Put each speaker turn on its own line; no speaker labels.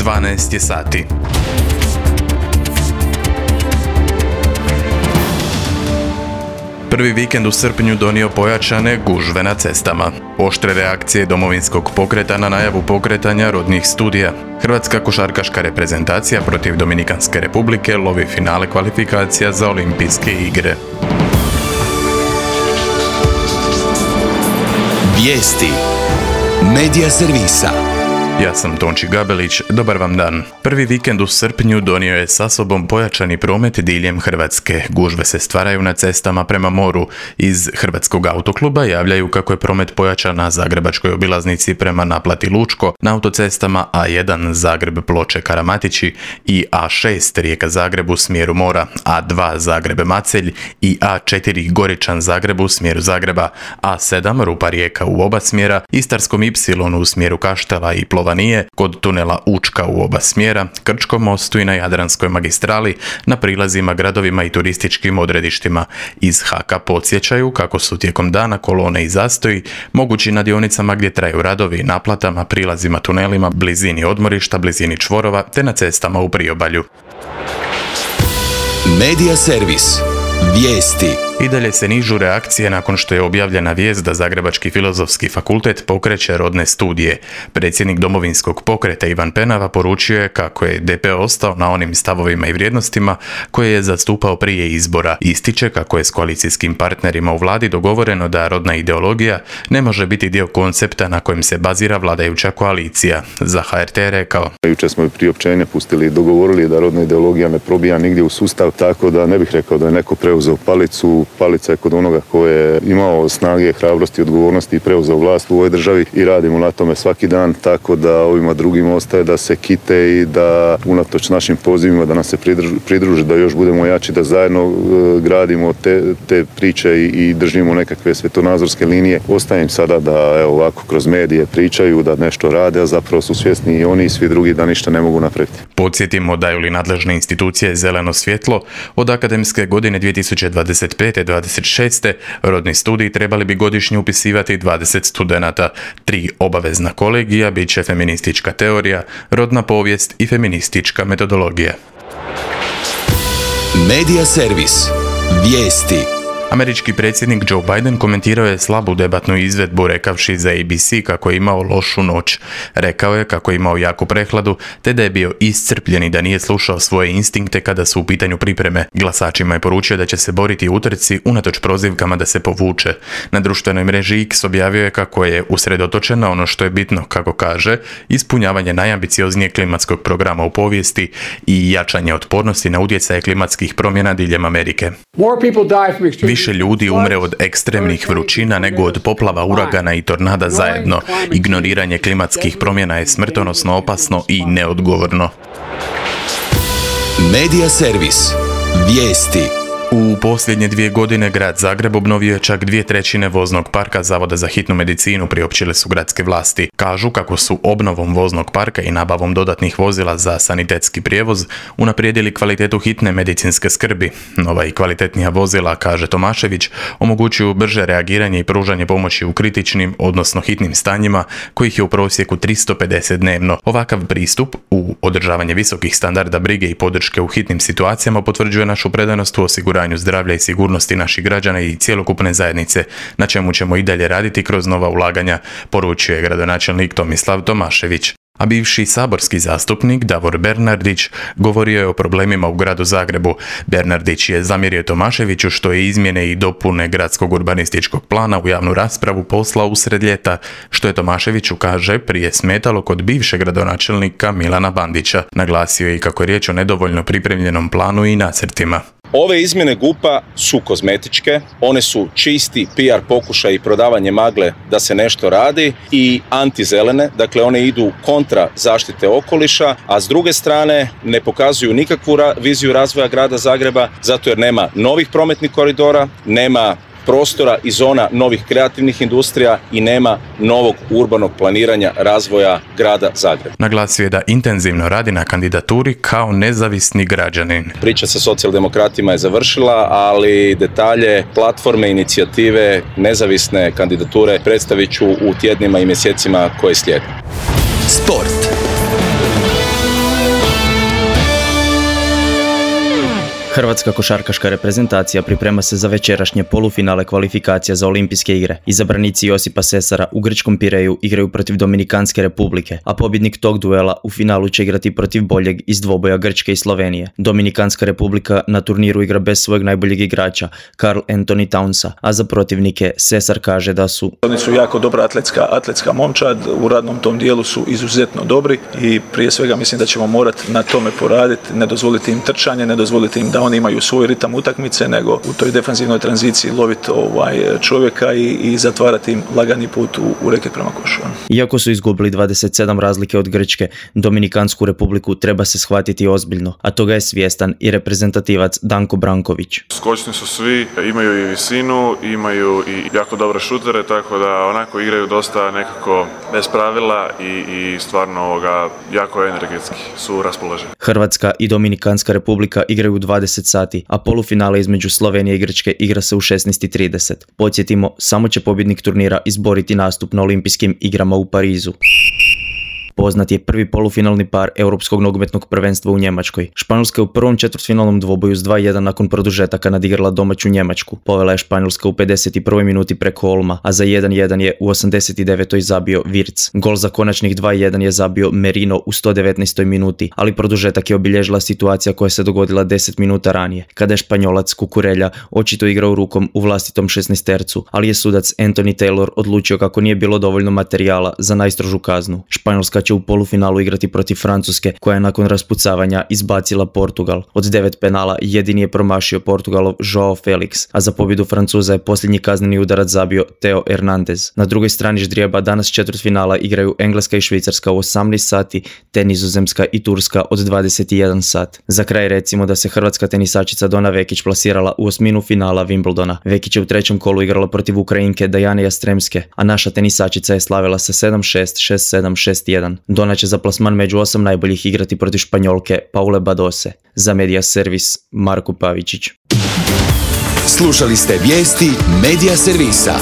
12 je sati. Prvi vikend u srpnju donio pojačane gužve na cestama. Oštre reakcije Domovinskog pokreta na najavu pokretanja rodnih studija. Hrvatska košarkaška reprezentacija protiv Dominikanske republike lovi finale kvalifikacija za olimpijske igre.
Vijesti Medija servisa.
Ja sam Tonči Gabelić, dobar vam dan. Prvi vikend u srpnju donio je sa sobom pojačani promet diljem Hrvatske. Gužve se stvaraju na cestama prema moru. Iz Hrvatskog autokluba javljaju kako je promet pojačan na zagrebačkoj obilaznici prema naplati Lučko, na autocestama A1 Zagreb Ploče Karamatići i A6 Rijeka Zagreb u smjeru mora, A2 Zagreb Macelj i A4 Goričan Zagreb u smjeru Zagreba, A7 Rupa Rijeka u oba smjera, Istarskom Y u smjeru Kaštela i Plovanije, kod tunela Učka u oba smjera, Krčkom mostu i na Jadranskoj magistrali, na prilazima gradovima i turističkim odredištima. Iz HAK-a podsjećaju kako su tijekom dana kolone i zastoji mogući na dionicama gdje traju radovi, naplatama, prilazima tunelima, blizini odmorišta, blizini čvorova te na cestama u priobalju.
Medija servis. Vijesti.
I dalje se nižu reakcije nakon što je objavljena vijest da Zagrebački filozofski fakultet pokreće rodne studije. Predsjednik Domovinskog pokreta Ivan Penava poručio je kako je DP ostao na onim stavovima i vrijednostima koje je zastupao prije izbora. Ističe kako je s koalicijskim partnerima u vladi dogovoreno da rodna ideologija ne može biti dio koncepta na kojem se bazira vladajuća koalicija. Za HRT je rekao:
Jučer smo priopćenje pustili i dogovorili da rodna ideologija ne probija nigdje u sustav, tako da ne bih rekao da je neko preuzeo palicu. Palica je kod onoga ko je imao snage, hrabrosti, odgovornosti i preuzeo vlast u ovoj državi i radimo na tome svaki dan, tako da ovima drugima ostaje da se kite i da unatoč našim pozivima da nas se pridruže, da još budemo jači, da zajedno gradimo te priče i držimo nekakve svetonazorske linije. Ostaje im sada da ovako kroz medije pričaju, da nešto rade, a zapravo su svjesni i oni i svi drugi da ništa ne mogu napraviti.
Podsjetimo, daju li nadležne institucije zeleno svjetlo, od akademske godine 2025-26 rodni studij trebali bi godišnje upisivati 20 studenata. 3 obavezna kolegija bit će feministička teorija, rodna povijest i feministička metodologija.
Medija servis. Vijesti.
Američki predsjednik Joe Biden komentirao je slabu debatnu izvedbu rekavši za ABC kako je imao lošu noć. Rekao je kako je imao jaku prehladu te da je bio iscrpljen i da nije slušao svoje instinkte kada su u pitanju pripreme. Glasačima je poručio da će se boriti u utrci unatoč prozivkama da se povuče. Na društvenoj mreži X objavio je kako je usredotočen na ono što je bitno, kako kaže, ispunjavanje najambicioznijeg klimatskog programa u povijesti i jačanje otpornosti na utjecaje klimatskih promjena diljem Amerike. Više ljudi umre od ekstremnih vrućina nego od poplava, uragana i tornada zajedno. Ignoriranje klimatskih promjena je smrtonosno opasno i neodgovorno.
Medija servis. Vijesti.
U posljednje 2 godine grad Zagreb obnovio je čak 2/3 voznog parka Zavoda za hitnu medicinu, priopćile su gradske vlasti. Kažu kako su obnovom voznog parka i nabavom dodatnih vozila za sanitetski prijevoz unaprijedili kvalitetu hitne medicinske skrbi. Nova i kvalitetnija vozila, kaže Tomašević, omogućuju brže reagiranje i pružanje pomoći u kritičnim, odnosno hitnim stanjima, kojih je u prosjeku 350 dnevno. Ovakav pristup u održavanje visokih standarda brige i podrške u hitnim situacijama potvrđuje našu predanost u osiguranju zdravlja i sigurnosti naših građana i cjelokupne zajednice, na čemu ćemo i dalje raditi kroz nova ulaganja, poručuje gradonačelnik Tomislav Tomašević. A bivši saborski zastupnik Davor Bernardić govorio je o problemima u gradu Zagrebu. Bernardić je zamjerio Tomaševiću što je izmjene i dopune gradskog urbanističkog plana u javnu raspravu poslao usred ljeta, što je Tomaševiću, kaže, prije smetalo kod bivšeg gradonačelnika Milana Bandića. Naglasio je i kako je riječ o nedovoljno pripremljenom planu i nacrtima.
Ove izmjene GUP-a su kozmetičke, one su čisti PR pokušaj i prodavanje magle da se nešto radi i antizelene, dakle one idu kontra zaštite okoliša, a s druge strane ne pokazuju nikakvu viziju razvoja grada Zagreba, zato jer nema novih prometnih koridora, nema prostora i zona novih kreativnih industrija i nema novog urbanog planiranja razvoja grada Zagreba.
Naglasio je da intenzivno radi na kandidaturi kao nezavisni građanin.
Priča sa socijaldemokratima je završila, ali detalje, platforme, inicijative, nezavisne kandidature predstavit ću u tjednima i mjesecima koje slijede.
Sport.
Hrvatska košarkaška reprezentacija priprema se za večerašnje polufinale kvalifikacija za olimpijske igre. Izabranici Josipa Sesara u grčkom Pireju igraju protiv Dominikanske republike, a pobjednik tog duela u finalu će igrati protiv boljeg iz dvoboja Grčke i Slovenije. Dominikanska republika na turniru igra bez svojeg najboljeg igrača, Karl Anthony Townsa, a za protivnike Sesar kaže da su
oni su jako dobra atletska momčad, u radnom tom dijelu su izuzetno dobri i prije svega mislim da ćemo morati na tome poraditi, ne dozvoliti im trčanje, ne dozvoliti im da oni imaju svoj ritam utakmice, nego u toj defanzivnoj tranziciji loviti čovjeka i zatvarati im lagani put u reket prema košu.
Iako su izgubili 27 razlike od Grčke, Dominikansku republiku treba se shvatiti ozbiljno, a toga je svjestan i reprezentativac Danko Branković.
Skočni su svi, imaju i visinu, imaju i jako dobre šutere, tako da onako igraju dosta nekako bez pravila i stvarno jako energetski su raspoloženi.
Hrvatska i Dominikanska republika igraju u 20 sati, a polufinale između Slovenije i Grčke igra se u 16:30. Podsjetimo, samo će pobjednik turnira izboriti nastup na olimpijskim igrama u Parizu. Poznat je prvi polufinalni par Europskog nogometnog prvenstva u Njemačkoj. Španjolska je u prvom četvrtfinalnom dvoboju s 2:1 nakon produžetaka nadigrala domaću Njemačku. Povela je Španjolska u 51. minuti preko Olma, a za 1:1 je u 89. zabio Wirtz. Gol za konačnih 2:1 je zabio Merino u 119. minuti, ali produžetak je obilježila situacija koja se dogodila 10 minuta ranije, kada je Španjolac Kukurelja očito igrao rukom u vlastitom 16-tercu, ali je sudac Anthony Taylor odlučio kako nije bilo dovoljno materijala za najstrožu kaznu. Španjolska će u polufinalu igrati protiv Francuske, koja je nakon raspucavanja izbacila Portugal. Od 9 penala jedini je promašio Portugalov Joao Felix, a za pobjedu Francuza je posljednji kazneni udarac zabio Theo Hernandez. Na drugoj strani ždrijeba danas četvrtfinala igraju Engleska i Švicarska u 18 sati, te Nizozemska i Turska od 21 sat. Za kraj recimo da se hrvatska tenisačica Dona Vekić plasirala u osminu finala Wimbledona. Vekić je u trećem kolu igrala protiv Ukrajinke Dajane Jastremske, a naša tenisačica je slavila sa 7-6, 6-7, 6-1. Dona će za plasman među 8 najboljih igrati protiv Španjolke Paule Badose. Za Media Servis, Marko Pavičić.
Slušali ste vijesti Media Servisa.